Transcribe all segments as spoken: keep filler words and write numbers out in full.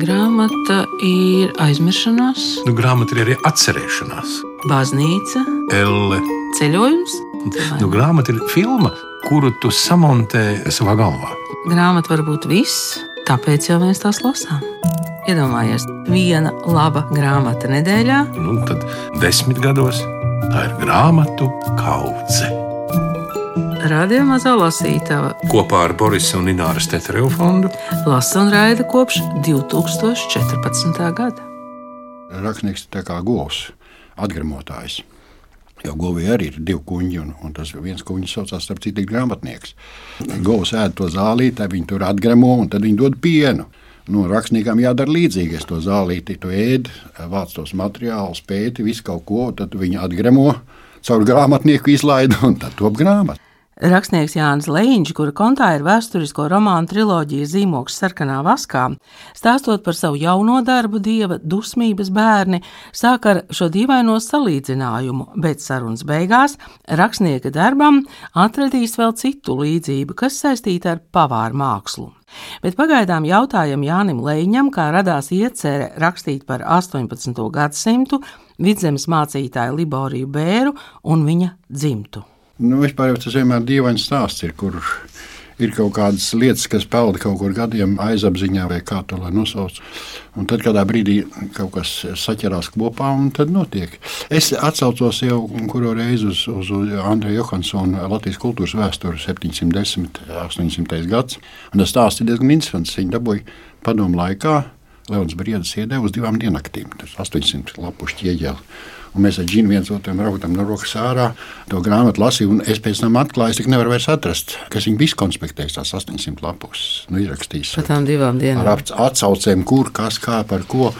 Grāmata ir aizmiršanās, Nu, grāmata ir arī atcerēšanās. baznīca, Elle. ceļojums. Nu, grāmata ir filma, kuru tu samontē savā galvā. Grāmata var būt viss, tāpēc jau mēs tās lasām. Iedomājies, viena laba grāmata nedēļā. Nu, tad desmit gados tā ir grāmatu kaudze. Radio Mazā lasītava Kopā ar Borisa un Ināras Tetereva fondu lasa un raida kopš divi tūkstoši četrpadsmitā gada. Rakstnieks ir tā kā govs, atgremotājs. Jo govī arī ir divi kuņģi, un, un tas viens kuņģis saucās, starp citu, grāmatnieks. Govs ēd to zālīti, tad viņi tur atgremo, un tad viņi dod pienu. Nu, rakstniekam jādara līdzīgi. Es to zālīti, tu ēd, vāc tos materiālus, pēti, visu kaut ko, tad viņi atgremo, caur grāmatnieku izlaida, un tad top grāmata. Rakstnieks Jānis Leņģis, kura kontā ir vēsturisko romānu triloģija Zīmogs sarkanā vaskā, stāstot par savu jauno darbu Dieva dusmības bērni, sāk ar šo dīvaino salīdzinājumu, bet sarunas beigās rakstnieka darbam atradīs vēl citu līdzību, kas saistīta ar pavāru mākslu. Bet pagaidām jautājam Jānim Leņģim, kā radās iecerē rakstīt par astoņpadsmito gadsimtu, Vidzemes mācītāju Liboriju Bēru un viņa dzimtu. Nu, vispār jau tas vienmēr dīvains stāsts ir, kur ir kaut kādas lietas, kas pelda kaut kur gadiem aizapziņā vai kā to lai nosauc. Un tad kādā brīdī kaut kas saķerās kopā un tad notiek. Es atsaucos jau kuru reizi uz, uz, uz Andreja Johansona Latvijas kultūras vēsturi septiņsimt desmit, astoņsimtais gads. Un tas stāsts ir diezgan interesants. Viņi dabūja padomu laikā, Leons Briedis iedeva uz divām diennaktīm. Tas astoņsimt lapušu ķieģeli. Un mēs ar Džinu viens otram raudam no rokas ārā, to grāmatu lasīju, un es pēc tam atklāju, es tik nevaru vairs atrast, kas viņi visu konspektēs tās astoņsimt lapus, nu izrakstīs. Par tām divām dienām. Ar atsaucēm, kur, kas, kā, par ko,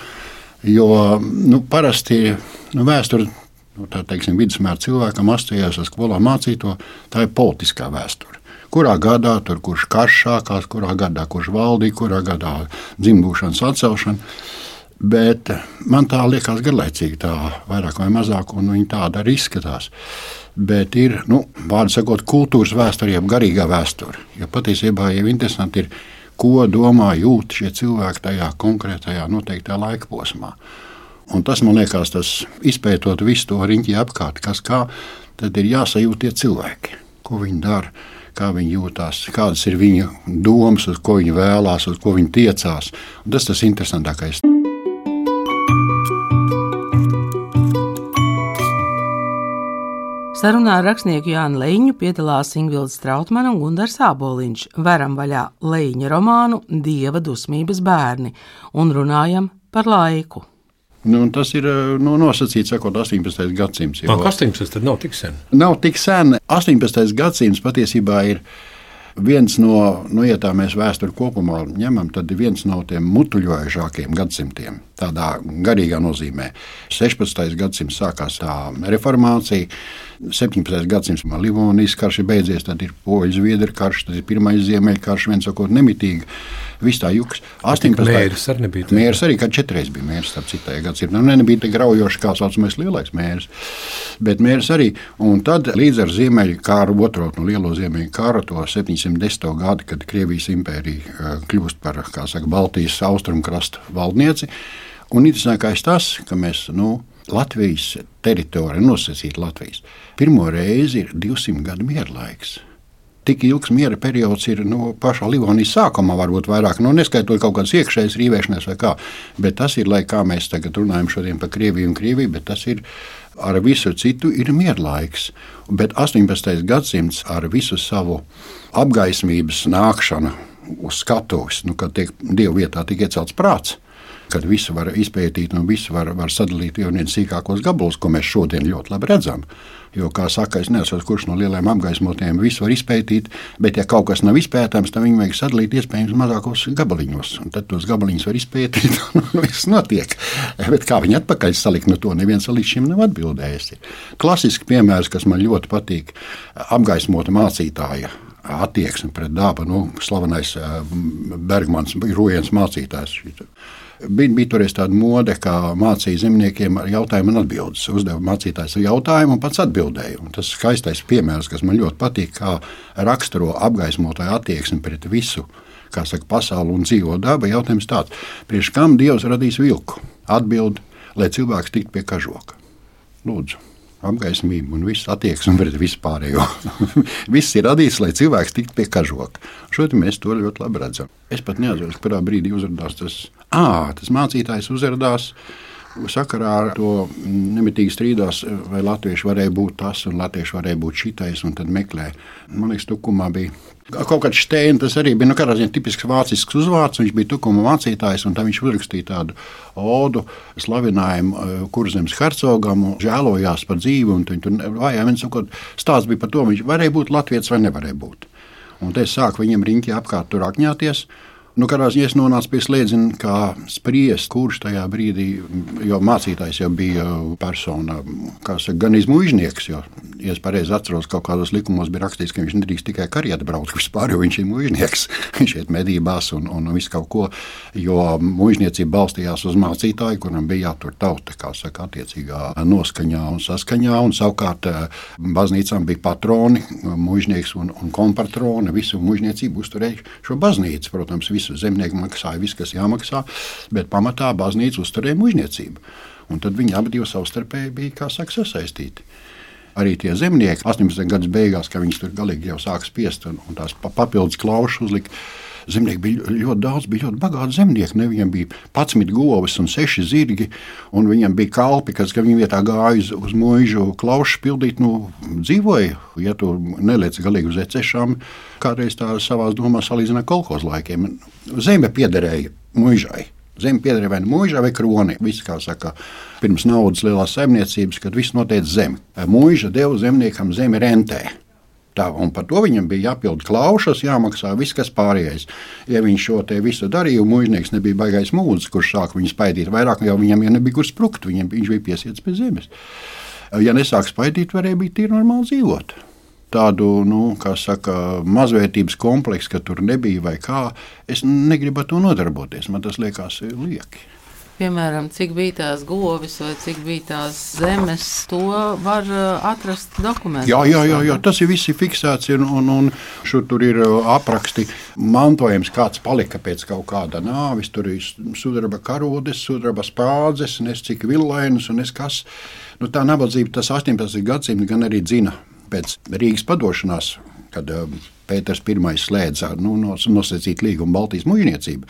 jo, nu, parasti, nu, vēsture, nu, tā teiksim, vidusmēra cilvēkam asociējās ar skolā mācīto, tā ir politiskā vēsture. Kurā gadā tur kurš karš sākās, kurā gadā kurš valdīja, kurā gadā dzimbūšanas atcelšana. Bet man tā liekas garlaicīgi, tā vairāk vai mazāk, un viņi tāda arī izskatās. Bet ir, nu, vārdu sakot, kultūras vēsture, jeb garīgā vēsture. Jo patiesībā jau interesanti ir, ko domā, jūt šie cilvēki tajā konkrētajā noteiktajā laika posmā. Un tas, man liekas, tas izpētot visu to riņķi apkārt, kas kā, tad ir jāsajūt tie cilvēki, ko viņi dara, kā viņi jūtās, kādas ir viņa domas, uz ko viņi vēlās, uz ko viņi tiecās. Un tas tas interesantākais. Sarunā ar rakstnieku Jānu Leņģu piedalās Ingvilde Strautmane un Gundars Āboliņš. Veram vaļā Leņģa romānu Dieva dusmības bērni un runājam par laiku. Nu, tas ir nu, nosacīts, sakot, astoņpadsmitais gadsimts. Jau astoņpadsmitais tad nav tik sen. Nav tik sen. astoņpadsmitais gadsimts patiesībā ir viens no, nu, ja tā mēs vēsturi kopumā ņemam, tad ir viens no tiem mutuļojošākiem gadsimtiem, tādā garīgā nozīmē. sešpadsmitais gadsimts sākās tā reformācija, septiņpadsmitais gadsimts Livonijas karš ir beidzies, tad ir Poļu-Zviedru karš, tad ir pirmais Ziemeļkarš, viens sakot nemitīgi, viss tā juks. Mērs arī nebija. Tā. Mērs arī, kad četreiz bija mērs, starp citajā gadsimtā. Nu, nebija tik graujoši, kā saucamais lielais mērs, bet mērs arī. Un tad līdz ar Ziemeļkaru, otro no lielo Ziemeļkaru, to septiņsimt desmito gadu, kad Krievijas impērija kļūst par, kā saka, Baltijas austrumkrasta valdnieci. Un interesantākais tas, ka mēs, nu, Latvijas teritorija, nosacīta Latvijas, pirmo reizi ir divsimt gadu mierlaiks. Tik ilgs miera periods ir nu, pašā Livonijas sākumā, varbūt vairāk, nu, neskaitot kaut kādas iekšējas rīvēšanās vai kā, bet tas ir, lai kā mēs tagad runājam šodien par Krieviju un Krieviju, bet tas ir ar visu citu ir mierlaiks. Bet astoņpadsmitais gadsimts ar visu savu apgaismības nākšanu uz skatuves, nu, kad tiek Dievu vietā tik iecelts prāts, kad visu var izpētīt un visu var, var sadalīt jau viens sīkākos gabalus, ko mēs šodien ļoti labi redzam. Jo, kā saka, es nesaprotu, kurš no lieliem apgaismotiem visu var izpētīt, bet ja kaut kas nav izpētāms, tad viņi vajag sadalīt iespējams mazākos gabaliņos. Un tad tos gabaliņus var izpētīt un viss notiek. Bet kā viņi atpakaļ salikt, no to neviens līdz šim nav atbildējis. Klasisks piemērs, kas man ļoti patīk, apgaismota mācītāja attieksme pret dabu, nu, slavenais Bergmans, Rujens mācītājs. Bija, bija toreiz tāda mode, kā mācīja zemniekiem ar jautājumu un atbildes. Uzdeva mācītājs jautājumu un pats atbildēja. Un tas skaistais piemērs, kas man ļoti patīk, kā raksturo apgaismotāju attieksmi pret visu, kā saka, pasauli un dzīvo daba, jautājums tāds, priekš kam Dievs radīs vilku? Atbild, lai cilvēks tiktu pie kažoka. Lūdzu, apgaismību un viss attieksmi pret vispārējo. Viss ir radīts, lai cilvēks tiktu pie kažoka. Šodien mēs to ļoti labi redzam. Es pat neatceros, kurā brīdī uzrādās tas, ā, tas mācītājs uzrādās sakarā ar to nemitīgi strīdās, vai latvieši varēja būt tas un latvieši varēja būt šitais, un tad meklē. Man liekas, Tukumā bija kaut kāds Šteina, tas arī bija, nu, kādā ziņā tipisks vācisks uzvārds, viņš bija Tukuma mācītājs, un tā viņš uzrakstīja tādu odu slavinājumu Kurzemes hercogam, žēlojās par dzīvi, un viņi tur vajā, viens sakot, stāsts bija par to, viņš varēja būt latvietis vai nevarēja būt. Un te sāk viņam riņķi apkārt tur akņāties. Nu, kādā ziņā es nonācu pie slēdziena, kā spriest, kurš tajā brīdī, jo mācītājs jau bija persona, kā saka, gan izmuižnieks, jo, ja es pareizi atceros, kaut kādos likumos bija rakstīts, ka viņš nedrīkst tikai karietu braukt vispār, jo viņš ir muižnieks, viņš iet medībās un, un visu kaut ko, jo muižniecība balstījās uz mācītāju, kuram bija jātur tauta, kā saka, attiecīgā noskaņā un saskaņā, un savukārt baznīcām bija patroni, muižnieks un, un kompatroni, visu muižniecību uzturēja šo baznīcu, protams, zemnieki maksāja viss, kas jāmaksā, bet pamatā baznīca uzturēja muižniecību. Un tad viņi abi divi savstarpēji bija, kā saka, sasaistīti. Arī tie zemnieki astoņpadsmitajā gadsimta beigās, kad viņus tur galīgi jau sāka spiest un, un tās papildus klaušas uzlika, zemnieki bija ļoti daudz, bija ļoti bagāti zemnieki. Ne? Viņam bija padsmit govis un seši zirgi, un viņam bija kalpi, kas, ka viņi vietā gāja uz, uz muižu klaušas pildīt, nu, dzīvoja. Ja tu neliec galīgi uz ecešām, kādreiz tā savās domās salīdzina kolhoz laikiem. Zeme piederēja muižai. Zeme piederēja vai muižai vai kroni. Viss, kā saka, pirms naudas lielās saimniecības, kad viss noteica zemi. Muiža deva zemniekam zemi rentē. Tā, un par to viņam bija jāpild klaušas, jāmaksā viss, kas pārējais. Ja viņš šo te visu darīja, un muižnieks nebija baigais mūdzis, kurš sāk viņu spaidīt vairāk, jau viņam ja nebija kur sprukt, viņam, viņš bija piesiets pie zemes. Ja nesāk spaidīt, varēja būt tīri normāli dzīvot. Tādu, nu, kā saka, mazvērtības kompleksu, ka tur nebija vai kā, es negribu ar to nodarboties, man tas liekas lieki. Piemēram, cik bija tās govis vai cik bija tās zemes, to var atrast dokumentos. Jā, jā, jā, jā, tas ir visi fiksēts, un, un, un šur tur ir apraksti mantojums, kāds palika pēc kaut kāda nāvis, tur ir sudraba karodes, sudraba spādzes, nes cik villainas un nes kas. Nu, tā nabadzība tas astoņpadsmitajā gadsimta gan arī dzina pēc Rīgas padošanās, kad Pēters Pirmais slēdza nu, nosacīt līgumu Baltijas muižniecību.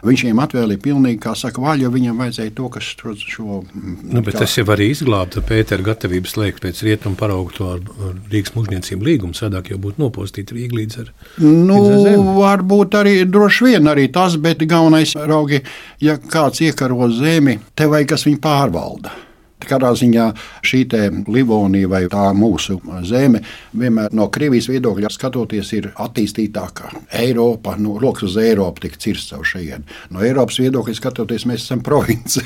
Viņš viņam atvēlīja pilnīgi, kā saka, vaļu, jo viņam vajadzēja to, kas šo... Nu, bet kā... tas jau arī izglābta Pētera gatavību slēgt pēc rietumu paraugu to ar Rīgas muižniecību līgumu, sadāk jau būtu nopostīta Rīga līdz ar, nu, līdz ar zemi. Varbūt arī droši vien arī tas, bet galvenais, raugi, ja kāds iekaro zemi, te vajag, kas viņu pārvalda. Kādā ziņā šī te Livonija vai tā mūsu zeme vienmēr no Krievijas viedokļa skatoties ir attīstītākā. Eiropa, nu, rokas uz Eiropu tik cirsts caur šajien. No Eiropas viedokļa skatoties mēs esam province.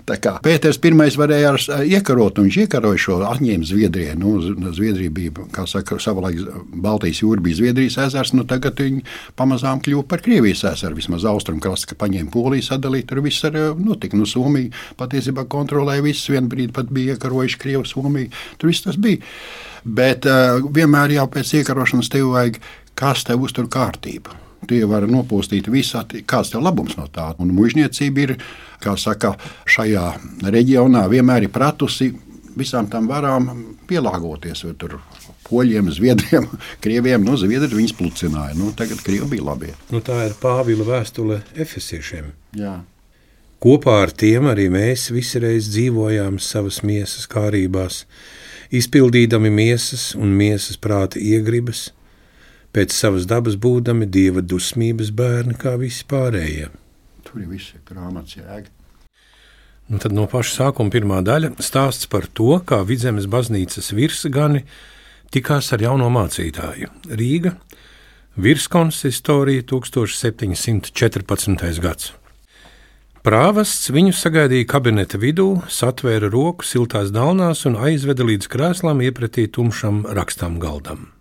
Tā kā Pēters Pirmais varēja iekarot, un viņš iekaroja šo atņēma Zviedrijai. Nu, Zviedrija bija, kā saka, savulaik Baltijas jūra bija Zviedrijas ezers, nu tagad viņi pamazām kļuva par Krievijas ezeru, vismaz austrumkrasts, ka paņēma Poliju sadalīt, tur viss arī notika. Nu, Somija patiesībā kontrolēja viss, vien brīdi pat bija iekarojuši Krievu, Somiju, tur viss tas bija. Bet uh, vienmēr jau pēc iekarošanas tev vajag, kas tev uztur kārtību. Tie var nopūstīt visā, kāds tev labums no tā. Un muižniecība ir, kā saka, šajā reģionā vienmēr ir pratusi visām tām varām pielāgoties. Tur poļiem, zviedriem, krieviem, nu, zviedri viņus plucināja. Nu, tagad krievi bija labie. Nu, tā ir Pāvila vēstule efesiešiem. Jā. Kopā ar tiem arī mēs visireiz dzīvojām savas miesas kārībās, izpildīdami miesas un miesas prāta iegribas, pēc savas dabas būdami Dieva dusmības bērni kā visi pārējie. Tur ir visi grāmatas jēga. Un tad no paša sākuma pirmā daļa stāsts par to, kā Vidzemes baznīcas virsgani tikās ar jauno mācītāju. Rīga, virskonsistorija, tūkstoš septiņi simti četrpadsmitais gads. Prāvests viņu sagaidīja kabineta vidū, satvēra roku siltās dalnās un aizveda līdz krēslām iepretī tumšam rakstām galdam.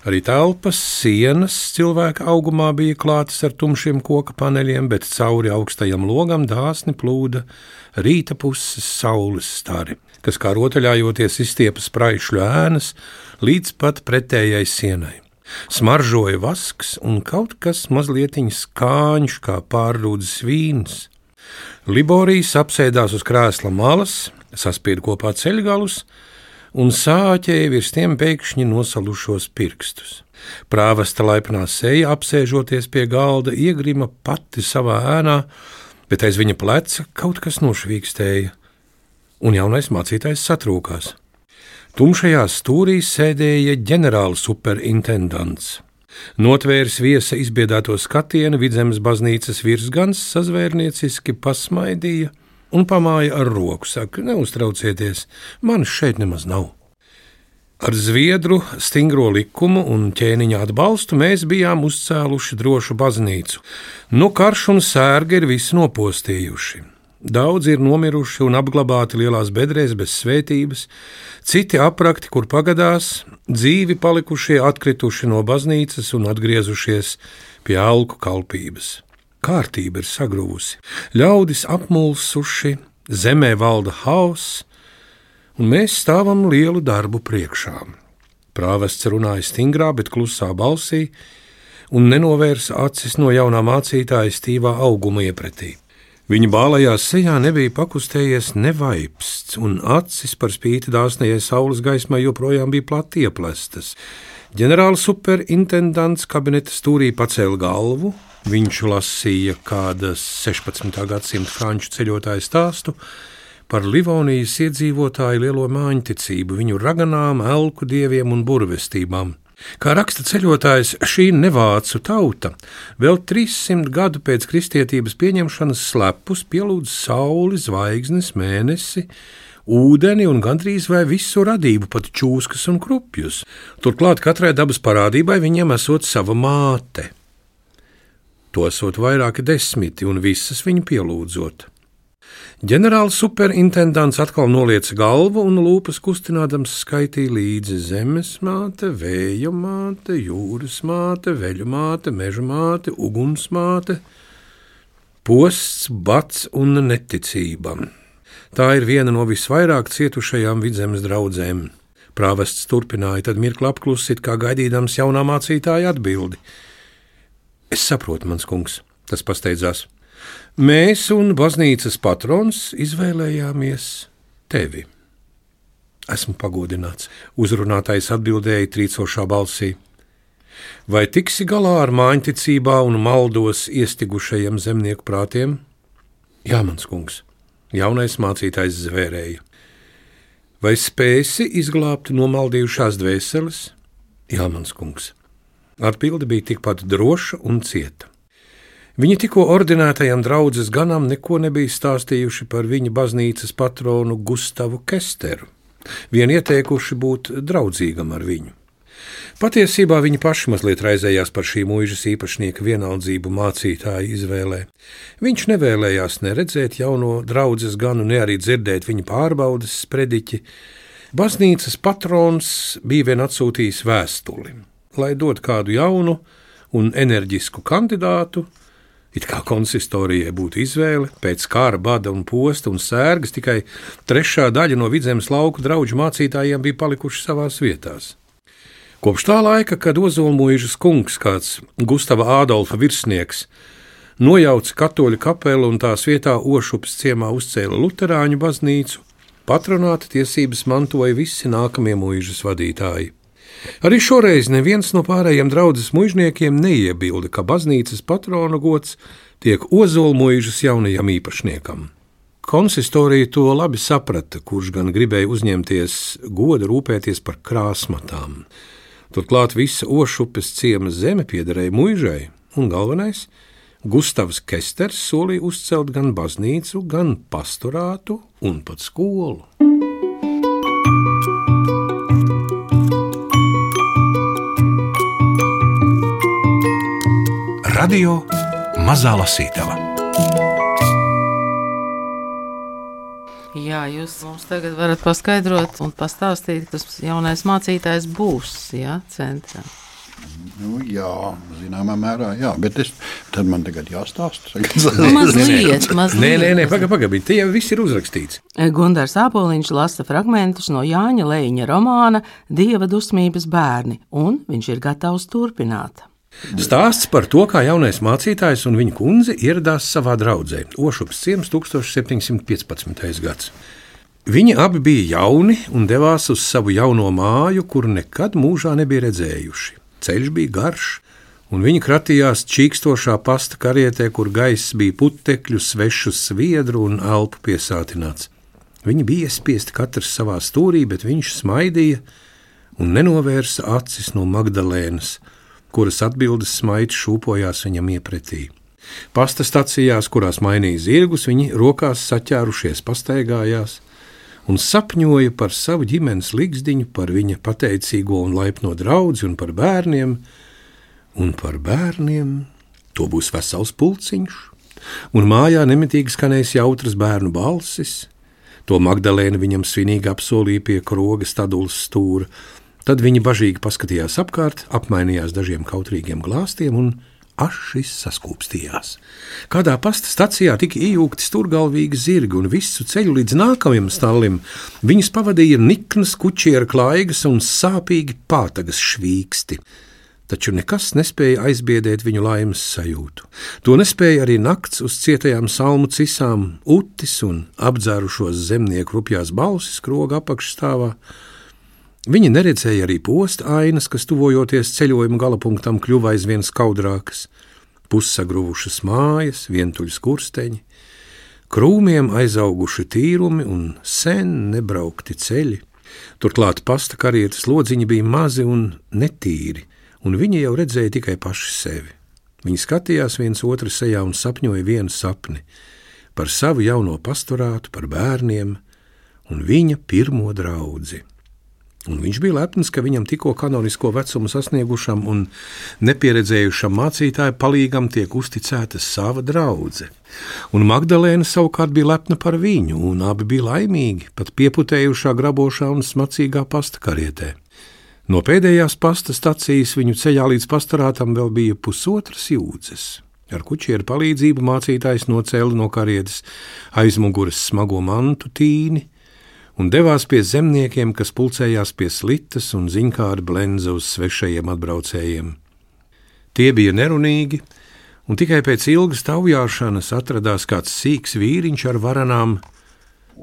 Arī telpas, sienas cilvēka augumā bija klātas ar tumšiem koka paneļiem, bet cauri augstajam logam dāsni plūda rīta puses saules stari, kas kā rotaļājoties izstiepa spraišļu ēnas līdz pat pretējai sienai. Smaržoja vasks un kaut kas mazlietiņ skāņš kā pārrūdzes vīns. Liborijas apsēdās uz krēsla malas, saspied kopā ceļgalus un sāķēja virs tiem pēkšņi nosalušos pirkstus. Prāvesta laipnā seja, apsēžoties pie galda, iegrima pati savā ēnā, bet aiz viņa pleca kaut kas nošvīkstēja, un jaunais mācītājs satrūkās. Tumšajā stūrī sēdēja ģenerāla superintendants. Notvērs viesa izbiedāto skatienu, Vidzemes baznīcas virsgans sazvērnieciski pasmaidīja un pamāja ar roku, saka, neuztraucieties, manis šeit nemaz nav. Ar Zviedru stingro likumu un ķēniņa atbalstu mēs bijām uzcēluši drošu baznīcu. Nu karš un sērgi ir visi nopostījuši. Daudzi ir nomiruši un apglabāti lielās bedrēs bez svētības, citi aprakti, kur pagadās, dzīvi palikušie atkrituši no baznīcas un atgriezušies pie alku kalpības. Kārtība ir sagruvusi, ļaudis apmulsuši, zemē valda hauss, un mēs stāvam lielu darbu priekšā. Prāvests runāja stingrā, bet klusā balsī un nenovērsa acis no jaunā mācītāja stīvā auguma iepretī. Viņa bālajā sejā nebija pakustējies nevaipsts, un acis par spīti dāsnajai saules gaismai joprojām bija plati ieplestas. Ģenerāla superintendants kabineta stūrī pacēla galvu, viņš lasīja kādas sešpadsmitā gadsimta franču ceļotāju stāstu par Livonijas iedzīvotāju lielo māņticību, viņu raganām, elku dieviem un burvestībām. Kā raksta ceļotājs, šī nevācu tauta vēl trīssimt gadu pēc kristietības pieņemšanas slepus pielūdz sauli, zvaigznes, mēnesi, ūdeni un gandrīz vai visu radību, pat čūskas un krupjus. Turklāt katrai dabas parādībai viņiem esot sava māte. To esot vairāki desmiti un visas viņu pielūdzot. Ģenerāla superintendants atkal nolieca galvu un lūpas kustinādams skaitīja līdzi zemes māte, vēja māte, jūras māte, veļu māte, meža māte, uguns māte, posts, bats un neticība. Tā ir viena no visvairāk cietušajām Vidzemes draudzēm. Prāvests turpināja, tad mirkli apklusit, kā gaidīdams jaunā mācītāja atbildi. Es saprotu, mans kungs, tas pasteidzās. Mēs un baznīcas patrons izvēlējāmies tevi. Esmu pagodināts, uzrunātais atbildēja trīcošā balsī. Vai tiksi galā ar māņticībā un maldos iestigušajiem zemnieku prātiem? Jā, mans kungs, jaunais mācītājs zvērēja. Vai spēsi izglābt nomaldījušās dvēseles? Jā, mans kungs. Atbilde bija tikpat droša un cieta. Viņi tikko ordinētajam draudzes ganam neko nebija stāstījuši par viņa baznīcas patronu Gustavu Kesteru, vien ieteikuši būt draudzīgam ar viņu. Patiesībā viņi paši mazliet raizējās par šī muižas īpašnieka vienaldzību mācītāja izvēlē. Viņš nevēlējās ne redzēt jauno draudzes ganu, ne arī dzirdēt viņa pārbaudes sprediķi. Baznīcas patrons bija vien atsūtījis vēstuli, lai dod kādu jaunu un enerģisku kandidātu. It kā konsistorijai būtu izvēle, pēc kara, bada un posta un sērgas tikai trešā daļa no Vidzemes lauku draugu mācītājiem bija palikuši savās vietās. Kopš tā laika, kad Ozolmuižas kungs, kāds Gustava Ādolfa virsnieks, nojauca katoļu kapelu un tās vietā Ošupas ciemā uzcēla luterāņu baznīcu, patronāta tiesības mantoja visi nākamie muižas vadītāji. Arī šoreiz neviens no pārējiem draudzes muižniekiem neiebilda, ka baznīcas patrona gods tiek Ozolmuižas jaunajam īpašniekam. Konsistorija to labi saprata, kurš gan gribēja uzņemties godu rūpēties par krāsmatām. Turklāt visa Ošupes ciema zeme piederēja muižai, un galvenais – Gustavs Kesters solīja uzcelt gan baznīcu, gan pastorātu un pat skolu. Radio Mazā Lasītava. Jā, jūs mums tagad varat paskaidrot un pastāstīt, kas jaunais mācītājs būs, jā, centrā. Nu, jā, zināmā mērā, jā, bet es, tad man tagad jāstāsta. Mazliet, mazliet. Nē, nē, nē, paga, paga, tie jau viss ir uzrakstīts. Gundars Āboliņš lasa fragmentus no Jāņa Leiņa romāna Dieva dusmības bērni, un viņš ir gatavs turpināt. Stāsts par to, kā jaunais mācītājs un viņa kundze ieradās savā draudzē, Ošups ciems tūkstoš septiņsimt piecpadsmitais gads. Viņi abi bija jauni un devās uz savu jauno māju, kuru nekad mūžā nebija redzējuši. Ceļš bija garš, un viņi kratījās čīkstošā pasta karietē, kur gaiss bija putekļu, svešu sviedru un elpu piesātināts. Viņi bija iespiesti katrs savā stūrī, bet viņš smaidīja un nenovērsa acis no Magdalēnas, kuras atbildes smaids šūpojās viņam iepretī. Pasta stacijās, kurās mainīja zirgus, viņi rokās saķērušies pastaigājās un sapņoja par savu ģimenes ligzdiņu, par viņa pateicīgo un laipno draudzi un par bērniem, un par bērniem to būs vesels pulciņš, un mājā nemitīgi skanēs jautras bērnu balsis, to Magdalēna viņam svinīgi apsolīja pie kroga stadulas stūra, tad viņi bažīgi paskatījās apkārt, apmainījās dažiem kautrīgiem glāstiem un ašis saskūpstījās. Kādā pasta stacijā tika iejūgti stūrgalvīgi zirgi, un visu ceļu līdz nākamajam stallim viņus pavadīja niknas kučiera klaigas un sāpīgi pātagas švīksti. Taču nekas nespēja aizbiedēt viņu laimes sajūtu. To nespēja arī nakts uz cietajām salmu cisām, utis un apdzērušos zemnieku rupjās balsis kroga apakšstāvā. Viņi neredzēja arī posta ainas, kas tuvojoties ceļojuma galapunktam kļuva aizvien skaudrākas, pussagruvušas mājas, vientuļas kursteņi, krūmiem aizauguši tīrumi un sen nebraukti ceļi. Turklāt pasta karietes lodziņi bija mazi un netīri, un viņi jau redzēja tikai paši sevi. Viņi skatījās viens otru sejā un sapņoja vienu sapni par savu jauno pastorātu, par bērniem un viņa pirmo draudzi. Un viņš bija lepns, ka viņam tikko kanonisko vecumu sasniegušam un nepieredzējušam mācītāju palīgam tiek uzticēta sava draudze. Un Magdalēna savukārt bija lepna par viņu, un abi bija laimīgi, pat pieputējušā grabošā un smacīgā pasta karietē. No pēdējās pasta stacijas viņu ceļā līdz pastorātam vēl bija pusotras jūdzes. Ar kučieru palīdzību mācītājs nocēla no karietes aizmuguras smago mantu tīni, un devās pie zemniekiem, kas pulcējās pie slitas un ziņkāra blenza uz svešajiem atbraucējiem. Tie bija nerunīgi, un tikai pēc ilgas taujāšanas atradās kāds sīks vīriņš ar varanām,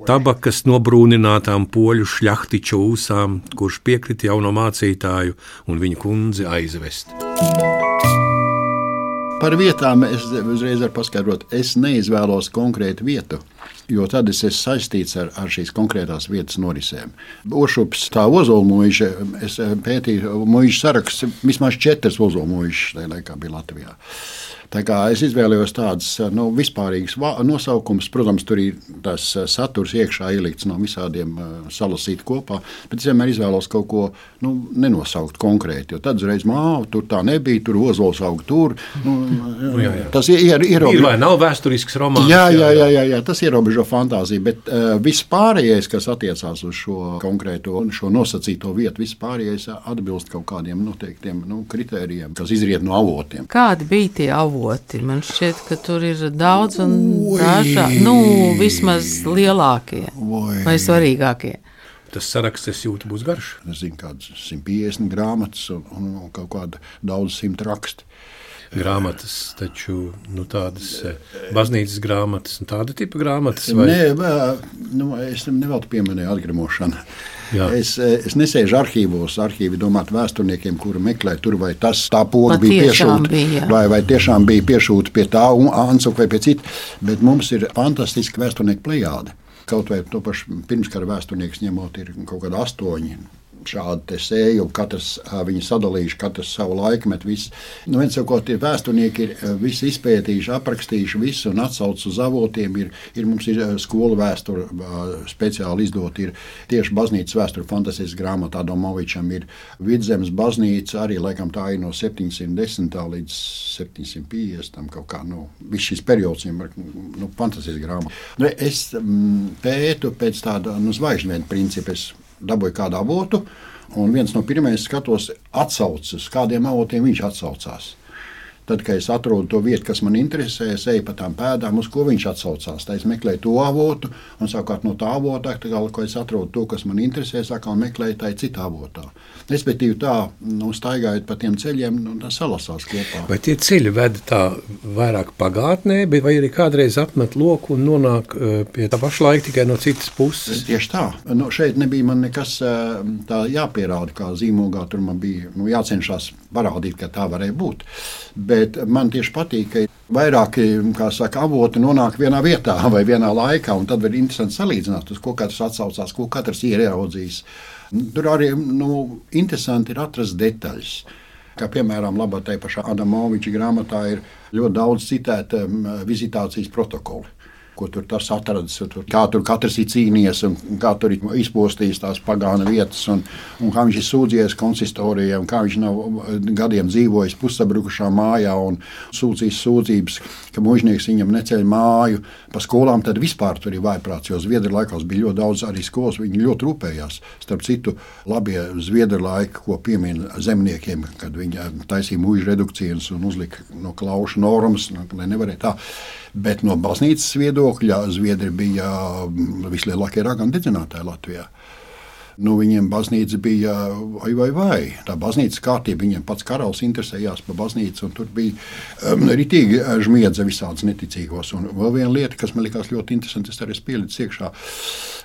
tabakas nobrūninātām poļu šļahtiču ūsām, kurš piekrita jauno mācītāju un viņa kundzi aizvest. Par vietām es uzreiz varu paskaidrot, es neizvēlos konkrētu vietu, jo tad es esmu saistīts ar, ar šīs konkrētās vietas norisēm. Ošups, tā ozolmuiža, es pētīju muižu saraksts, vismaz četras ozolmuižas tajā laikā bija Latvijā. Tā kā es izvēlējos tādas nu, vispārīgas nosaukums, protams, tur ir tas saturs iekšā ielikts no visādiem salasīt kopā, bet es vienmēr izvēlos kaut ko nu, nenosaukt konkrēti, jo tad uzreiz māva, tur tā nebija, tur ozols aug tur. Nu, nu, jā, jā. Tas ir ierobežo. Ir vai nav vēsturisks romāns? Jā, jā, jā, jā, jā, tas ierobežo fantāziju, bet uh, viss pārējais, kas attiecās uz šo konkrēto un šo nosacīto vietu, viss pārējais atbilst kaut kādiem noteiktiem nu, kritērijiem, kas izriet no avotiem. Kādi bija tie avoti? Man šķiet, ka tur ir daudz un dažādi, nu, vismaz lielākie Oi. Vai svarīgākie. Tas saraksts, es jūtu, būs garš. Es zinu, kādas simt piecdesmit grāmatas un, un, un kaut kāda daudz simt raksti. Grāmatas, taču nu, tādas baznīcas grāmatas un tāda tipa grāmatas? Vai? Nē, nu, es nevēltu pieminēju atgremošanu. Jā. Es, es nesēžu arhīvos, arhīvi domāt vēsturniekiem, kuri meklē tur, vai tas tā poga bija piešūta, vai, vai tiešām bija piešūta pie tā Ansuka vai pie cita, bet mums ir fantastiski vēsturnieku plejāde. Kaut vai to pašu pirmskara vēsturnieks ņemot ir kaut kāda astoņi. Šādi te sēju, katrs viņi sadalījuši, katrs savu laikmetu, visu. Nu, viens jau, ko tie vēsturnieki ir visi izpētījuši, aprakstījuši visu un atsauc uz avotiem, ir, ir mums ir skola vēstura speciāli izdot, ir tieši baznīcas vēstura fantastiskas grāmata Adomovičam, ir Vidzemes baznīca, arī laikam tā ir no septiņsimt desmitā līdz septiņsimt piecdesmitam kaut kā, nu, viss šis periods ir, nu, fantastiskas grāmata. Nu, es m, pētu pēc tāda, nu, zvaigžņu principu, es dabūju kādu avotu, Un viens no pirmajiem skatos atsaucas, kādiem avotiem viņš atsaucās. Tad, kad es atrodu to vietu, kas man interesē, es eju pa tām pēdām, uz ko viņš atsaucās. Tā es meklēju to avotu, un savukārt no tā avota, kad es atrodu to, kas man interesē, atkal meklēju tā citā avotā. Respektīvi tā, nu, staigājot pa tiem ceļiem, nu, tas salasās kopā. Vai tie ceļi ved tā vairāk pagātnē, vai arī kādreiz apmet loku un nonāk pie tā paša laika tikai no citas puses? Tieši tā. Nu, šeit nebija man nekas tā jāpierāda, kā zīmogā. Tur man bija nu, jācenšas parādīt, ka tā varēja būt. Bet man tieši patīk, ka vairāki saka, avoti nonāk vienā vietā vai vienā laikā, un tad ir interesanti salīdzināt, uz ko katrs atsaucās, ko katrs ir ieraudzījis. Tur arī nu, interesanti ir atrast detaļas. Kā piemēram, labā tajā pašā Adamoviča grāmatā ir ļoti daudz citēta vizitācijas protokoli. Ko tur tas atradis, tur, kā tur katrs ir cīnījies un kā tur ir izpostījis tās pagāna vietas un, un kā viņš ir sūdzies konsistorijā un kā viņš nav gadiem dzīvojis pussabrukušā mājā un sūdzījis sūdzības, ka mužnieks viņam neceļ māju pa skolām, tad vispār tur ir vājprāts, jo Zviedru laikos bija ļoti daudz arī skolas, viņi ļoti rūpējās. Starp citu, labie Zviedru laiki, ko piemin zemniekiem, kad viņi taisīja mužu redukcijas un uzlika no klaušu normas, lai nevarēja tā. Bet no baznīcas viedokļa Zviedri bija vislielākie raganu dedzinātāji Latvijā. Nu, viņiem baznīca bija vai, vai, vai. Tā baznīcas kārtība, viņiem pats karalis interesējās par baznīcu, un tur bija um, ritīgi žmiedze visādas neticīgos. Un vēl viena lieta, kas man likās ļoti interesanti, es arī pielicu iekšā,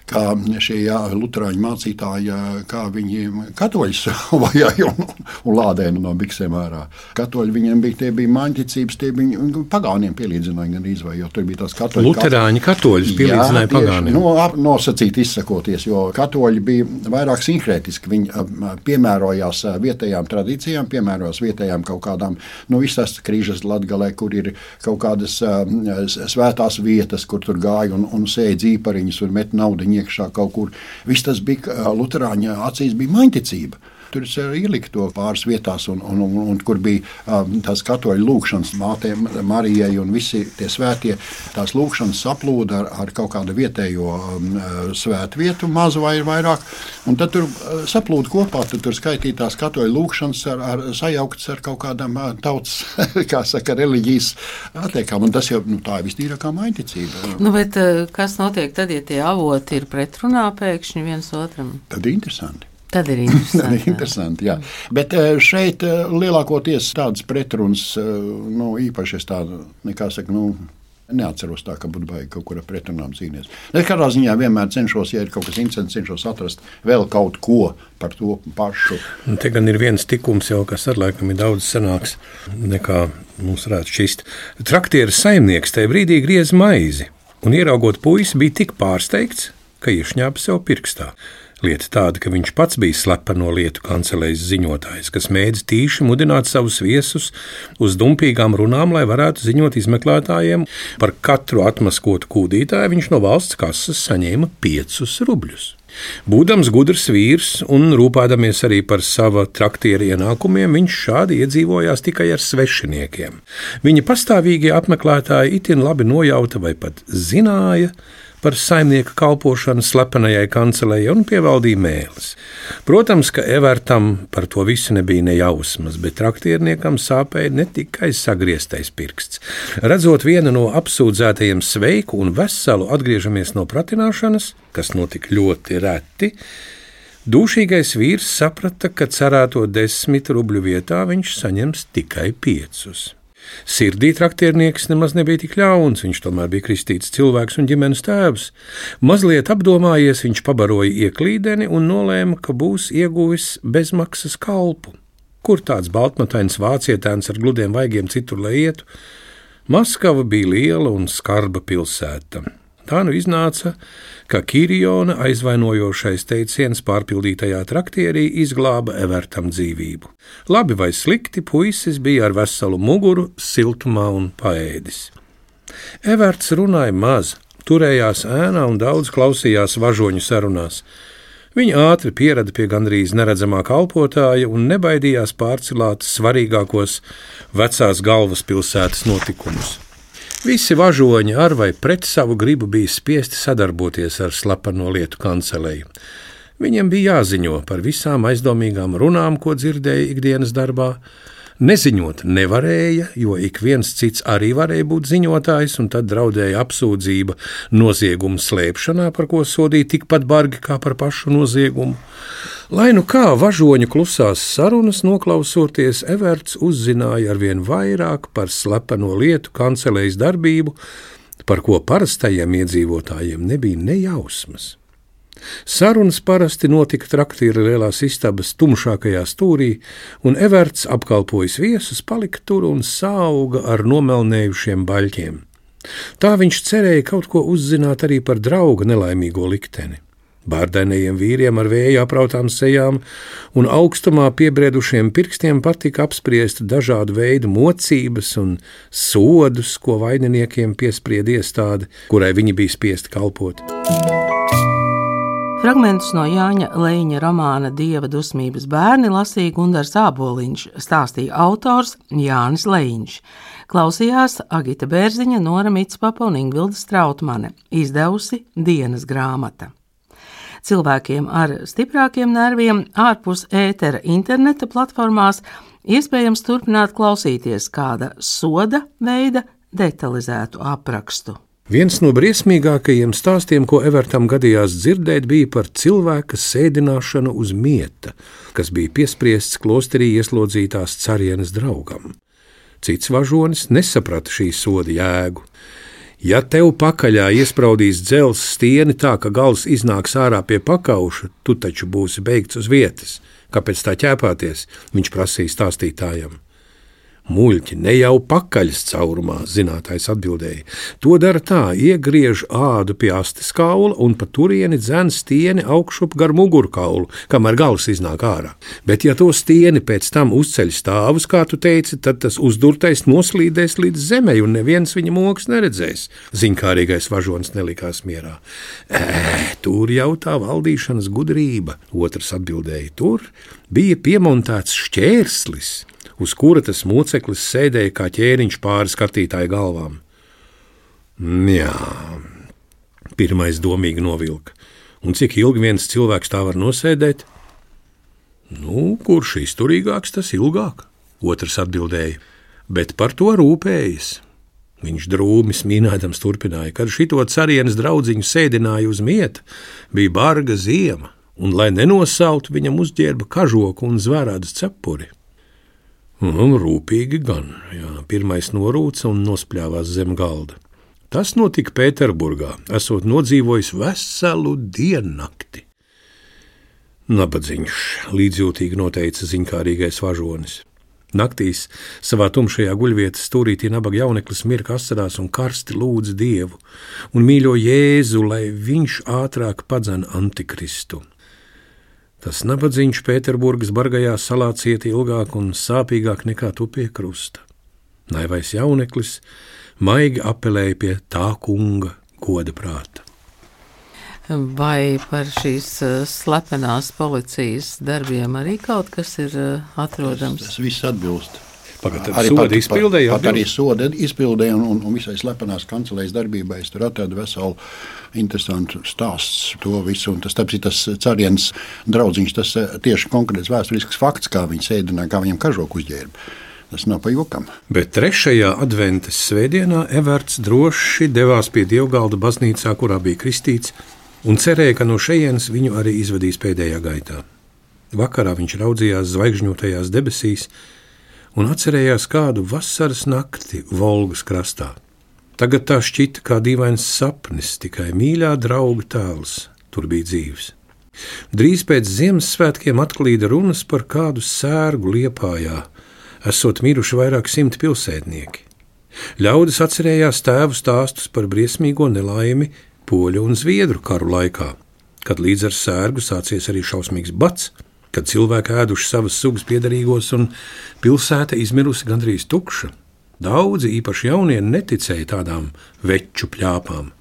kā šie jā, luterāņu mācītāji, kā viņi katoļus vajāja un, un lādēja no biksēm ārā. Katoļi viņiem bija, tie bija māņticības, tie bija pagāniem pielīdzināja gan izvai, jo tur bija tās katoļi. Luterāņi katoļus pielīdzināja pagāniem. Nu, nosacīt izsakoties, jo katoļi bija vairāk sinhrētiski. Viņi piemērojās vietējām tradīcijām, piemērojās vietējām kaut kādām, nu, visas krīžas Latgalē, kur ir kaut kādas uh, svētās vietas, kur tur gāja un, un sēja dzīpariņus un met naudiņu iekšā kaut kur. Viss tas bija, uh, luterāņa acīs bija maņticība. Tur es ieliku to pāris vietās, un, un, un, un kur bija um, tās katoļu lūkšanas mātei Marijai un visi tie svētie, tās lūkšanas saplūda ar, ar kaut kādu vietējo um, svētvietu, mazu vai vairāk, un tad tur uh, saplūda kopā, tad tur skaitītās katoļu lūkšanas ar, ar, sajauktas ar kaut kādām uh, tautas, kā saka, reliģijas atliekām, un tas jau nu, tā ir vistīrākā maņticība. Nu, bet uh, kas notiek tad, ja tie avoti ir pretrunā pēkšņi viens otram? Tad ir interesanti. Tad ir interesanti. interesanti jā. Bet šeit lielākoties tādas pretrunas, nu, īpaši es tādu, nekā saka, nu, neatceros tā, ka būtu baigi kaut kur ar pretrunām cīnīties. Es katrā ziņā vienmēr cenšos, ja ir kaut kas interesants, cenšos atrast vēl kaut ko par to pašu. Un te gan ir viens tikums jau, kas ar laikam ir daudz senāks, nekā mums varētu šķist. Traktieres saimnieks tajā brīdī griez maizi, un ieraugot puisi bija tik pārsteigts, ka iešņāpa sev pirkstā. Lieta tāda, ka viņš pats bija slepeno lietu kancelējas ziņotājs, kas mēdz tīši mudināt savus viesus uz dumpīgām runām, lai varētu ziņot izmeklētājiem. Par katru atmaskotu kūdītāju viņš no valsts kases saņēma piecus rubļus. Būdams gudrs vīrs un rūpēdamies arī par sava traktiera ienākumiem, viņš šādi iedzīvojās tikai ar svešiniekiem. Viņa pastāvīgie apmeklētāji itin labi nojauta vai pat zināja par saimnieka kalpošanu slepenajai kancelējai un pievaldīja mēlis. Protams, ka Evertam par to visu nebija nejausmas, bet traktierniekam sāpēja ne tikai sagrieztais pirksts. Redzot vienu no apsūdzētajiem sveiku un veselu atgriežamies no pratināšanas, kas notika ļoti reti, dūšīgais vīrs saprata, ka cerēto desmit rubļu vietā viņš saņems tikai piecus. Sirdī traktiernieks nemaz nebija tik ļauns, viņš tomēr bija kristīts cilvēks un ģimenes tēvs. Mazliet apdomājies, viņš pabaroja ieklīdeni un nolēma, ka būs ieguvis bezmaksas kalpu. Kur tāds baltmatains vācietēns ar gludiem vaigiem citur lai ietu? Maskava bija liela un skarba pilsēta. Tā nu iznāca, ka Kiriona aizvainojošais teiciens pārpildītajā traktierī izglāba Evertam dzīvību. Labi vai slikti, puisis bija ar veselu muguru, siltumā un paēdis. Everts runāja maz, turējās ēnā un daudz klausījās važoņu sarunās. Viņa ātri pierada pie gandrīz neredzamā kalpotāja un nebaidījās pārcilāt svarīgākos vecās galvaspilsētas notikumus. Visi važoņi ar vai pret savu gribu bija spiesti sadarboties ar slepeno lietu kanceleju. Viņam bija jāziņo par visām aizdomīgām runām, ko dzirdēja ikdienas darbā. Neziņot nevarēja, jo ik viens cits arī varēja būt ziņotājs, un tad draudēja apsūdzība nozieguma slēpšanā, par ko sodīja tikpat bargi kā par pašu noziegumu. Lai nu kā važoņu klusās sarunas noklausoties, Everts uzzināja arvien vairāk par slepeno lietu kancelejas darbību, par ko parastajiem iedzīvotājiem nebija nejausmas. Sarunas parasti notika traktīra lielās istabas tumšākajā stūrī, un Everts, apkalpojis viesus, palika tur un sauga ar nomelnējušiem baļķiem. Tā viņš cerēja kaut ko uzzināt arī par drauga nelaimīgo likteni. Bārdainajiem vīriem ar vēju aprautām sejām un augstumā piebriedušiem pirkstiem patika apspriest dažādu veidu mocības un sodus, ko vaininiekiem piespried iestāde, kurai viņi bija spiesti kalpot. Fragmentus no Jāņa Leiņa romāna Dieva dusmības bērni lasīja Gundars Āboliņš, stāstīja autors Jānis Leiņš. Klausījās Agita Bērziņa, Nora Mitspapa un Ingvilda Strautmane, izdevusi Dienas grāmata. Cilvēkiem ar stiprākiem nerviem ārpus ētera interneta platformās iespējams turpināt klausīties kāda soda veida detalizētu aprakstu. Viens no briesmīgākajiem stāstiem, ko Evertam gadījās dzirdēt, bija par cilvēka sēdināšanu uz mieta, kas bija piespriests klosterī ieslodzītās carienes draugam. Cits važonis nesaprata šī soda jēgu. Ja tev pakaļā iespraudīs dzelzs stieni tā, ka gals iznāks ārā pie pakauša, tu taču būsi beigts uz vietas. Kāpēc tā ķēpāties? Viņš prasīja stāstītājam. Muļķi, ne jau pakaļas caurumā, zinātājs atbildēja. To dara tā, iegriež ādu pie astes kaula un pa turieni dzen stieni augšup gar mugurkaulu, kamēr gals iznāk ārā. Bet ja to stieni pēc tam uzceļ stāvus, kā tu teici, tad tas uzdurtais noslīdēs līdz zemei un neviens viņa mokas neredzēs. Ziņkārīgais važonis nelikās mierā. Ē, tur jau tā valdīšanas gudrība, otrs atbildēja. Tur bija piemontēts šķērslis, uz kura tas moceklis sēdēja kā ķēriņš pāri skatītāju galvām. Jā, pirmais domīgi novilka. Un cik ilgi viens cilvēks tā var nosēdēt? Nu, kurš izturīgāks, tas ilgāk, otrs atbildēja, bet par to rūpējas. Viņš drūmi smīnēdams turpināja, kad šito carienes draudziņu sēdināja uz mieta, bija barga ziema, un, lai nenosautu, viņam uzģērba kažoku un zvērādas cepuri. Un rūpīgi gan, jā, pirmais norūca un nospļāvās zem galda. Tas notika Pēterburgā, esot nodzīvojis veselu diennakti. Nabadzīņš, līdzjūtīgi noteica ziņkārīgais važonis. Naktīs savā tumšajā guļvietas stūrītī nabaga jauneklis mirka asarās un karsti lūdza Dievu un mīļo Jēzu, lai viņš ātrāk padzen Antikristu. Tas nabadzīņš Pēterburgas bargajā salā cieta ilgāk un sāpīgāk nekā tu pie krusta. Naivais jauneklis maigi apelēja pie tā kunga goda prāta. Vai par šīs slepenās policijas darbiem arī kaut kas ir atrodams? Tas, tas viss atbilst. Pagad, arī soda izpildēja, pat, pat arī soda izpildēja un, un, un visai slepenās kancelējas darbībai. Es tur atradu veselu interesantu stāstu to visu. Un tas, tāpēc, tas carienes draudziņš, tas tieši konkrēts vēsturisks fakts, kā viņi sēdināja, kā viņam kažoku uzģērba. Tas nav pa jokam. Bet trešajā adventas svētdienā Everts droši devās pie Dievgalda baznīcā, kurā bija kristīts, un cerēja, ka no šejienes viņu arī izvedīs pēdējā gaitā. Vakarā viņš raudzījās zvaigžņotajās debesīs un atcerējās kādu vasaras nakti Volgas krastā. Tagad tā šķita kā dīvains sapnis, tikai mīļā drauga tēls tur bija dzīves. Drīz pēc Ziemassvētkiem atklīda runas par kādu sērgu Liepājā, esot miruši vairāk simti pilsētnieki. Ļaudis atcerējās tēvu stāstus par briesmīgo nelaimi poļu un zviedru karu laikā, kad līdz ar sērgu sācies arī šausmīgs bats, kad cilvēki ēduši savas sugas piederīgos un pilsēta izmirusi gandrīz tukša. Daudzi, īpaši jaunie, neticēja tādām veču pļāpām.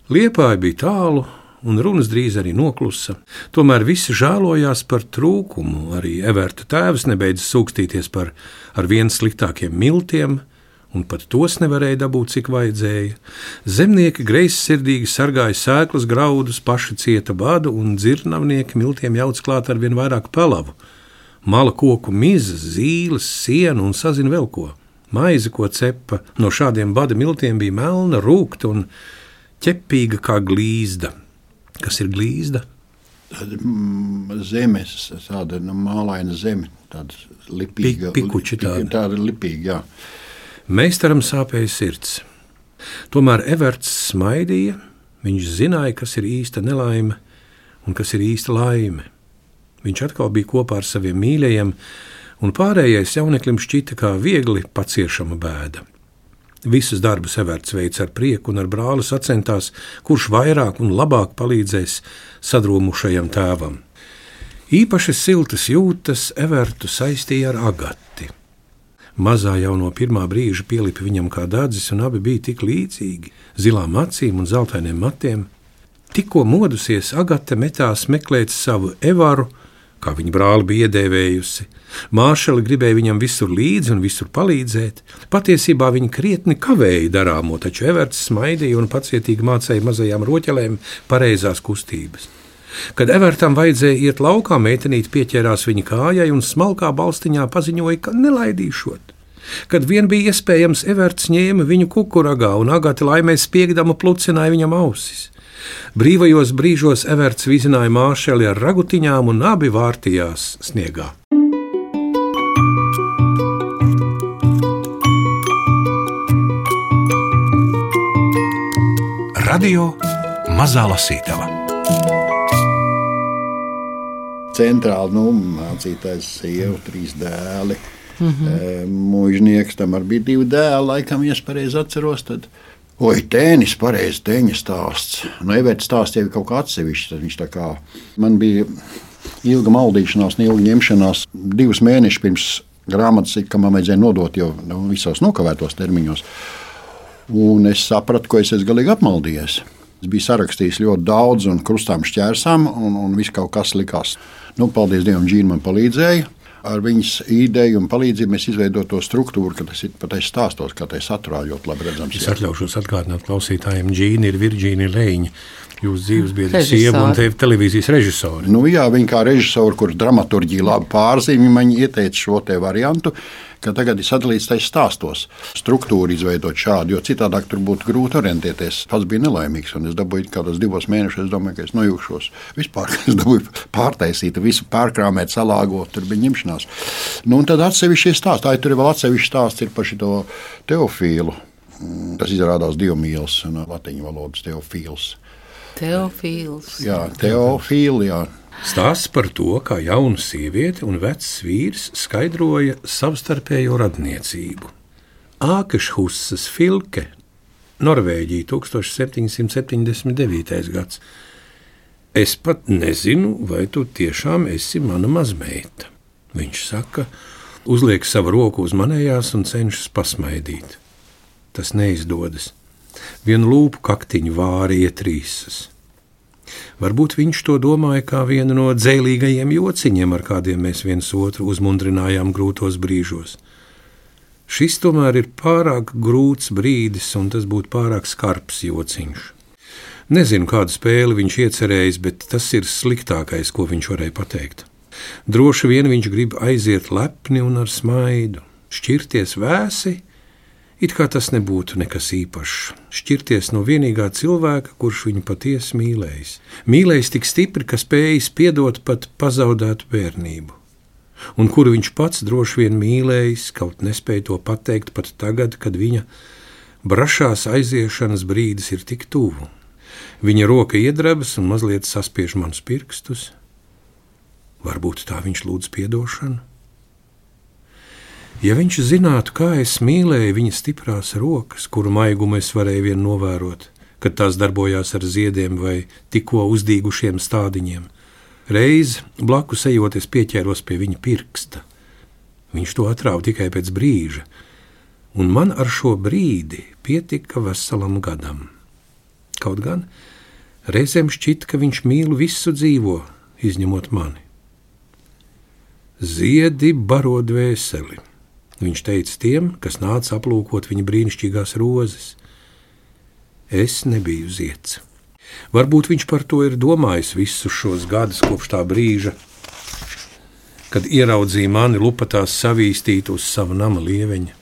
Liepāja bija tālu un runas drīz arī noklusa. Tomēr visi žēlojās par trūkumu. Arī Everta tēvs nebeidza sūkstīties par ar vien sliktākiem miltiem un pat tos nevarēja dabūt, cik vajadzēja. Zemnieki greizsirdīgi sargāja sēklas graudus, paši cieta badu, un dzirnavnieki miltiem jauc klāt ar vien vairāk pelavu. Mala koku mizas, zīles, sienu un sazin vēl ko. Maize, ko cepa no šādiem bada miltiem, bija melna, rūkta un ķepīga kā glīzda. Kas ir glīzda? Tāda mm, zemes, tāda nu, mālaina zeme, tāda lipīga. Pik, pikuči tāda. Tāda lipīga, jā. Meistaram sāpēja sirds. Tomēr Everts smaidīja, viņš zināja, kas ir īsta nelaime un kas ir īsta laime. Viņš atkal bija kopā ar saviem mīļajiem, un pārējais jauneklim šķita kā viegli paciešama bēda. Visus darbus Everts veica ar prieku un ar brāli sacentās, kurš vairāk un labāk palīdzēs sadromušajam tēvam. Īpaši siltas jūtas Evertu saistīja ar Agati. Mazā jau no pirmā brīža pielipa viņam kā dadzis, un abi bija tik līdzīgi, zilām acīm un zeltainiem matiem. Tikko modusies, Agate metās meklēt savu Evaru, kā viņa brāli bija iedēvējusi. Māršali gribēja viņam visur līdzi un visur palīdzēt. Patiesībā viņa krietni kavēja darāmo, taču Everts smaidīja un pacietīgi mācīja mazajām roķelēm pareizās kustības. Kad Evertam vajadzēja iet laukā, meitenīte pieķērās viņa kājai un smalkā balstiņā paziņoja, ka nelaidīšot. Kad vien bija iespējams, Everts ņēma viņu kukuragā un Agate laimē spiegdama plucināja viņam ausis. Brīvajos brīžos Everts vizināja Māršeli ar ragutiņām un abi vārtījās sniegā. Radio Mazā Lasītava. Centrāli nu, mācītājs sieva, trīs dēli. Mm-hmm. Mūžnieks, tam arī bija divi dēli, laikam, ja es pareizi atceros, tad, oi, tēnis, pareizi, teņa stāsts. Nu, Everts stāsts jau ir kaut kā atsevišķi, tad viņš tā kā, man bija ilga maldīšanās, neilga ņemšanās, divus mēnešus pirms grāmatas, kam man vajadzēja nodot jau nu, visos nokavētos termiņos. Un es sapratu, ko es esmu galīgi apmaldījies. Es biju sarakstījis ļoti daudz un krustām šķērsām, un, un viss kaut kas likās. Nu, paldies Dievam, Džīna man palīdzēja. Ar viņas ideju un palīdzību mēs izveidojam to struktūru, ka tas ir patiesi stāstos, kā tai saturā ļoti labi redzams. Es atļaušos atgādināt klausītājiem, Džīna ir Virģīnija Leiņa, jūsu dzīves biedra sieva un te televīzijas režisori. Nu jā, viņa kā režisori, kur dramaturģija labi pārzīmē, man ieteica šo te variantu, ka tagad ir sadalīts tais stāstos. Struktūru izveidot šādu, jo citādāk tur būtu grūti orientēties. Pats bija nelaimīgs, un es dabūju kādos divos mēnešos, es domāju, ka es nojūkšos. Vispār, es dabūju pārtaisīt, visu pārkrāmēt, salāgot, tur bija ņemšanās. Nu, un tad atsevišķi stāsts, tā ir tur vēl atsevišķi stāsts ir par šito Teofīlu. Tas izrādās dievmīls, no latiņu valodas Teofīls. Teofīls. Jā, Teofīli, jā. Stāsts par to, kā jauna sieviete un vecs vīrs skaidroja savstarpējo radniecību. Ākešhusas Filke, Norvēģija, tūkstoš septiņi simt septiņdesmit devītais gads. Es pat nezinu, vai tu tiešām esi mana mazmeita. Viņš saka, uzliek savu roku uz manējās un cenšas pasmaidīt. Tas neizdodas. Vienu lūpu kaktiņu vāri ietrīsas. Varbūt viņš to domāja kā vienu no dzēlīgajiem jociņiem, ar kādiem mēs viens otru uzmundrinājām grūtos brīžos. Šis tomēr ir pārāk grūts brīdis, un tas būtu pārāk skarbs jociņš. Nezinu, kādu spēli viņš iecerējis, bet tas ir sliktākais, ko viņš varēja pateikt. Droši vien viņš grib aiziet lepni un ar smaidu, šķirties vēsi, it kā tas nebūtu nekas īpašs. Šķirties no vienīgā cilvēka, kurš viņu patiesi mīlējis. Mīlējis tik stipri, ka spējis piedot pat pazaudētu bērnību. Un kuru viņš pats droši vien mīlējis, kaut nespēja to pateikt pat tagad, kad viņa brašās aiziešanas brīdis ir tik tuvu. Viņa roka iedrebas un mazliet saspiež manus pirkstus. Varbūt tā viņš lūdz piedošanu? Ja viņš zinātu, kā es mīlēju viņa stiprās rokas, kuru maigumu es varēju vien novērot, kad tās darbojās ar ziediem vai tikko uzdīgušiem stādiņiem, reiz blakus ejot es pieķēros pie viņa pirksta. Viņš to atrāva tikai pēc brīža, un man ar šo brīdi pietika veselam gadam. Kaut gan reizēm šķita, ka viņš mīl visu dzīvo, izņemot mani. Ziedi baro dvēseli. Viņš teica tiem, kas nāca aplūkot viņa brīnišķīgās rozes. Es nebiju zieds. Varbūt viņš par to ir domājis visus šos gadus kopš tā brīža, kad ieraudzīja mani lupatās savīstīt uz sava nama lieveņa.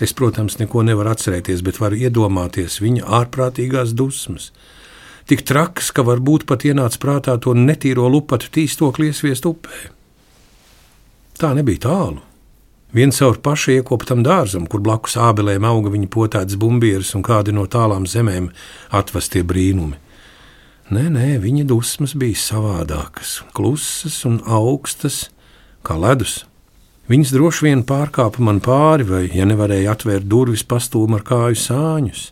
Es, protams, neko nevaru atcerēties, bet varu iedomāties viņa ārprātīgās dusmas. Tik trakas, ka varbūt pat ienāca prātā to netīro lupatu tīstokli iesviest upē. Tā nebija tālu. Vien caur paša iekoptam dārzam, kur blakus ābelēm auga viņa potētas bumbieras un kādi no tālām zemēm atvestie brīnumi. Nē, nē, viņa dusmas bija savādākas, klusas un augstas, kā ledus. Viņas droši vien pārkāpa man pāri, vai, ja nevarēja atvērt durvis, pastūma ar kāju sāņus.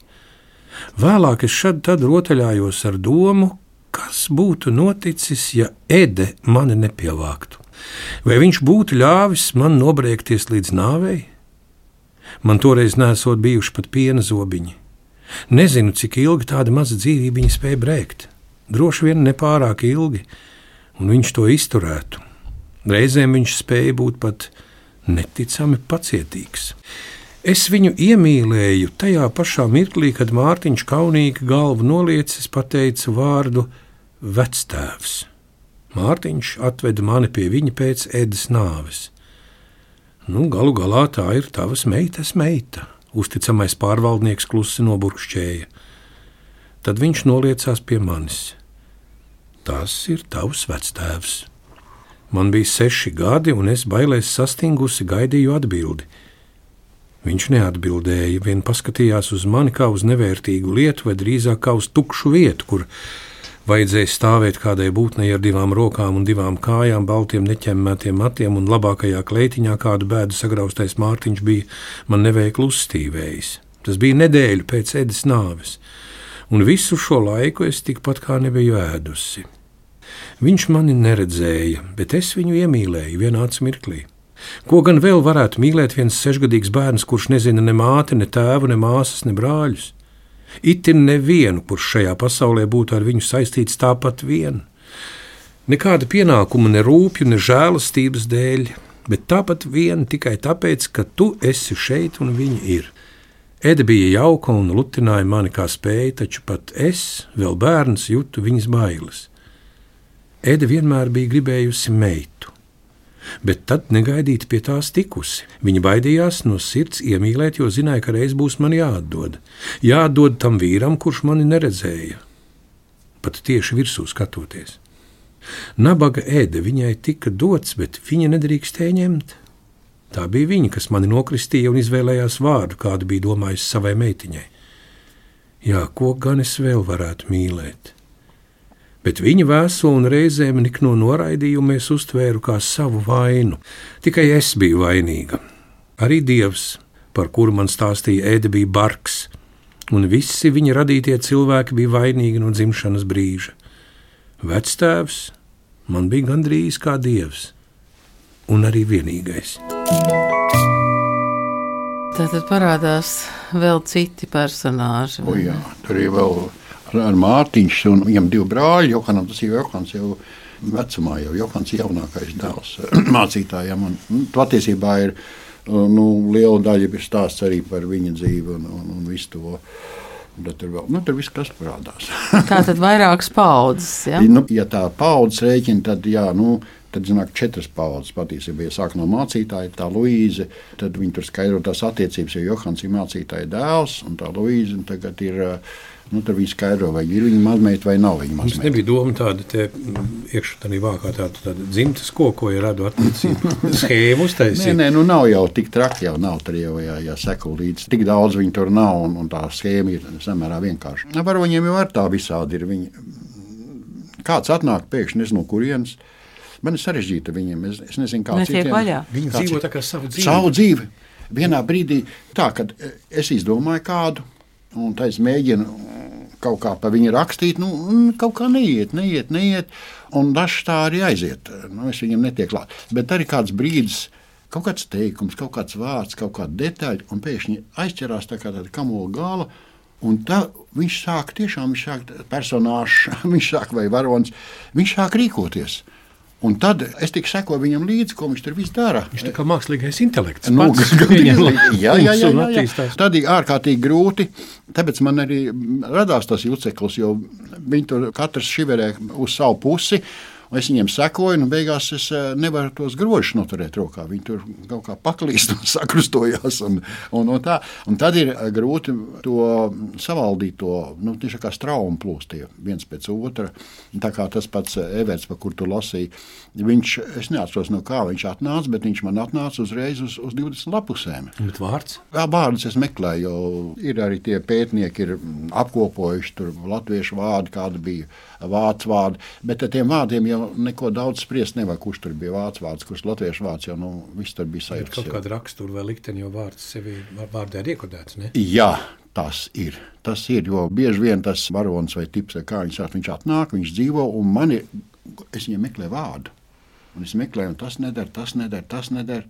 Vēlāk es šad tad rotaļājos ar domu, kas būtu noticis, ja Ede mani nepievāktu. Vai viņš būtu ļāvis man nobriekties līdz nāvei? Man toreiz nesot bijuši pat piena zobiņi. Nezinu, cik ilgi tāda maza dzīvība spēja brēkt. Droši vien nepārāk ilgi, un viņš to izturētu. Reizēm viņš spēja būt pat neticami pacietīgs. Es viņu iemīlēju tajā pašā mirklī, kad Mārtiņš kaunīgi galvu noliecis pateica vārdu vectēvs. Mārtiņš atveda mani pie viņa pēc Edes nāves. Nu, galu galā tā ir tavas meitas meita, uzticamais pārvaldnieks klusi noburkšķēja. Tad viņš noliecās pie manis. Tas ir tavs vectēvs. Man bija seši gadi, un es bailēs sastingusi gaidīju atbildi. Viņš neatbildēja, vien paskatījās uz mani kā uz nevērtīgu lietu, vai drīzāk kā uz tukšu vietu, kur vajadzēja stāvēt kādai būtnei ar divām rokām un divām kājām, baltiem neķemmētiem matiem, un labākajā kleitiņā kādu bēdu sagraustais Mārtiņš bija man neveikli uzstīvējis. Tas bija nedēļu pēc Edes nāves, un visu šo laiku es tikpat kā nebiju ēdusi. Viņš mani neredzēja, bet es viņu iemīlēju vienā mirklī. Ko gan vēl varētu mīlēt viens sešgadīgs bērns, kurš nezina ne māti, ne tēvu, ne māsas, ne brāļus? Itin nevienu, kurš šajā pasaulē būtu ar viņu saistīts tāpat vien. Nekāda pienākuma, ne rūpju, ne žēlastības dēļ, bet tāpat vien tikai tāpēc, ka tu esi šeit un viņa ir. Ede bija jauka un lutināja mani kā spēja, taču pat es, vēl bērns, jutu viņas bailes. Ede vienmēr bija gribējusi meitu, bet tad negaidīti pie tās tikusi. Viņa baidījās no sirds iemīlēt, jo zināja, ka reiz būs man jāatdod. Jāatdod tam vīram, kurš mani neredzēja, pat tieši virsū skatoties. Nabaga Ede viņai tika dots, bet viņa nedrīkstēja ņemt. Tā bija viņa, kas mani nokristīja un izvēlējās vārdu, kādu bija domājis savai meitiņai. Jā, ko gan es vēl varētu mīlēt? Bet viņa vēso un reizēm nikno noraidījumu es uztvēru kā savu vainu. Tikai es biju vainīga. Arī Dievs, par kuru man stāstīja Ede, bija bargs, un visi viņa radītie cilvēki bija vainīgi no dzimšanas brīža. Vectēvs man bija gandrīz kā Dievs, un arī vienīgais. Tātad parādās vēl citi personāži. O jā, tur ir vēl ar Mārtiņš, un viņam divi brāļi, Johanam, tas ir Johans jau vecumā, jau Johans jaunākais dēls mācītājam, un patiesībā ir, nu, liela daļa ir stāsts arī par viņa dzīvi un, un, un visu to. Tad tur vēl, nu, tur viss kas parādās. Tā tad vairākas paudzes, ja? Nu, ja tā paudzes rēķina, tad jā, nu, tad zināk četras paudzes patiesībā, ja sāk no mācītāja, tā Luīze, tad viņi tur skaidro tās attiecības, jo Johans ir mācītāja dēls, un tā Luīze, un tagad ir, nu, tur viņi skaidro, vai ir viņa mazmeita vai nav viņa mazmeita. Mums nebija doma tāda te iekšā tādā vākā tāda, tāda dzimtas kokoja radu attiecību schēmu uztaisīt. Nē, nē, nu nav jau tik traki, jau nav tur jau, ja, ja seko līdz. Tik daudz viņi tur nav, un, un tā schēma ir samērā vienkārši. Var viņiem jau ar tā visādi ir viņi. Kāds atnāk pēkšņi, nezinu, kurienes. Man ir sarežģīta viņiem, es, es nezinu, kāds ir. Viņi dzīvo tā kā savu dzīvi. Savu dzīvi. Vienā brīdī tā, kad es izdomāju kādu, un tā es mēģinu kaut kā pa viņu rakstīt, nu, kaut kā neiet, neiet, neiet, un dažs tā arī aiziet. Nu, es viņam netiek klāt. Bet arī kāds brīdis, kaut kāds teikums, kaut kāds vārds, kaut kāda detaļa, un pēkšņi aizķerās tā kā tāda kamola gala, un tā viņš sāk tiešām, viņš sāk personāžs, viņš sāk vai varonis, viņš sāk rīkoties. Un tad es tik sekoju viņam līdzi, ko viņš tur viss dara. Viņš tā kā mākslīgais intelekts. Nu, pats jā, jā, jā, jā, jā. attīstās. Tad ir ārkārtīgi grūti, tāpēc man arī radās tas juceklis, jo viņi tur katrs šiverē uz savu pusi. Es viņiem sekoju, un beigās es nevaru tos grožus noturēt rokā. Viņi tur kaut kā paklīst un sakrustojās. Un, un, un, tā. Un tad ir grūti to savaldīt, to nu, tieši kā straumu plūstie viens pēc otra. Tā kā tas pats Everts, par kur tu lasīji, viņš, es neatceros no kā viņš atnāca, bet viņš man atnāca uzreiz uz, uz divdesmit lapusēm. Bet vārds? Jā, vārdus es meklēju, jo ir arī tie pētnieki ir apkopojuši tur latviešu vārdi, kāda bija vācu vārdi, bet ar tiem vārdiem jau neko daudz spriest nevar, kurš tur bija vācu vārds, kurš latviešu vārds, jau nu, viss tur bija sajūts. Ir kaut kāda rakstura vai likteni, jo vārds sevi vārdē ir iekodēts, ne? Jā, tas ir. Tas ir, jo bieži vien tas varonis vai tips, kā viņš sāk, viņš atnāk, viņš dzīvo, un man ir, es viņam meklēju vārdu. Un es meklēju, un tas nedara, tas nedara, tas nedara,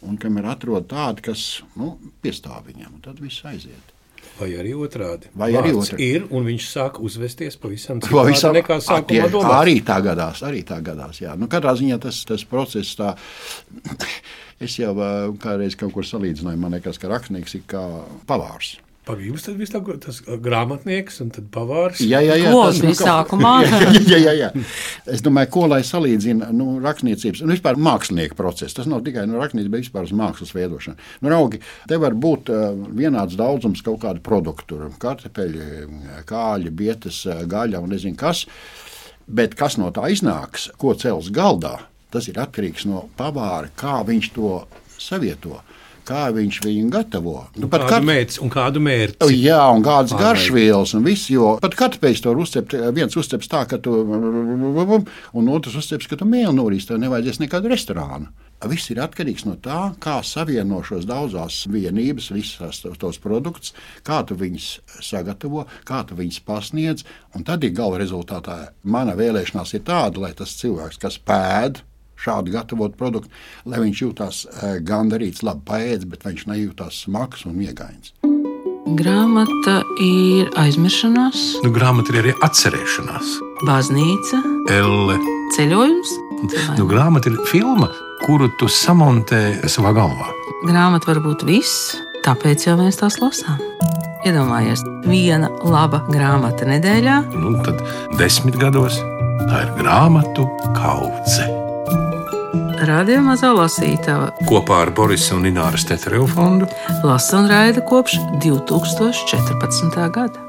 un kamēr atrod tādu, kas, nu, piestāv viņam, un tad viss aiziet. Vai arī otrādi. Vai arī Vārds otrādi. ir, un viņš sāk uzvesties pavisam Pavisam- citādi nekā sākumā Tie- domāts. Arī tā gadās, arī tā gadās, jā. Nu, katrā ziņā tas, tas process tā, es jau ā, kādreiz kaut kur salīdzināju, man liekas, ka rakstnieks ir kā pavārs. Pagaid, jūs tad viss tā, tas grāmatnieks un tad pavārs. Jā, jā, jā. Klos tas, nu, bija sākumā. jā, jā, jā, jā. Es domāju, ko lai salīdzina nu, rakstniecības un vispār mākslinieka procesu. Tas nav tikai nu, rakstniecība, bet vispār uz mākslas veidošanu. Nu, raugi, te var būt uh, vienāds daudzums kaut kādu produktu, kartupeļi, kāļi, bietes, gaļa un nezinu kas, bet kas no tā iznāks, ko cels galdā, tas ir atkarīgs no pavāra, kā viņš to savieto. Kā viņš viņu gatavo. Nu, kādu kat... mērķi un kādu mērķi. Jā, un kādas garšvielas un viss, jo pat kartupeļus to uzcept, viens uzceps tā, ka tu, un otrs uzceps, ka tu mēli norīs, tev nevajadzēs nekādu restorānu. Viss ir atkarīgs no tā, kā savieno šos daudzās vienības, visas tos produktus, kā tu viņus sagatavo, kā tu viņus pasniedz, un tad ir gala rezultātā. Mana vēlēšanās ir tāda, lai tas cilvēks, kas pēd, šādi gatavot produktu, lai viņš jūtās gandarīts, labi paēdis, bet viņš nejūtās smags un miegains. Grāmata ir aizmiršanās, Nu, grāmata ir arī atcerēšanās. baznīca, Elle. ceļojums. Nu, grāmata ir filma, kuru tu samontē savā galvā. Grāmata var būt viss, tāpēc jau mēs tās lasām. Iedomājies, viena laba grāmata nedēļā. Nu, tad desmit gados tā ir grāmatu kaudze. Radio Mazā Lasītava Kopā ar Borisa un Ināras Tetereva fondu lasa un raida kopš divi tūkstoši četrpadsmitā gada.